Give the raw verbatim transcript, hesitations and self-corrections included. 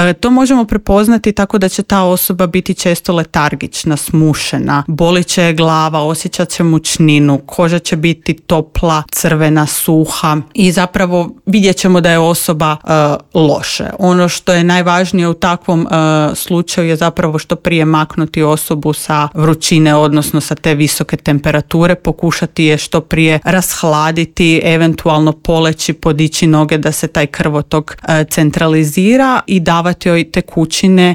E, to možemo prepoznati tako da će ta osoba biti često letargična, smušena, bolit će je glava, osjećat će mučninu, koža će biti topla, crvena, suha i zapravo vidjet ćemo da je osoba e, loše. Ono što je najvažnije u takvom e, slučaju je zapravo što prije maknuti osobu sa vrućine, odnosno sa te visoke temperature, pokušati je što prije rashladiti, eventualno poleći, podići noge da se taj krvotok e, centralizira i davati joj tekućine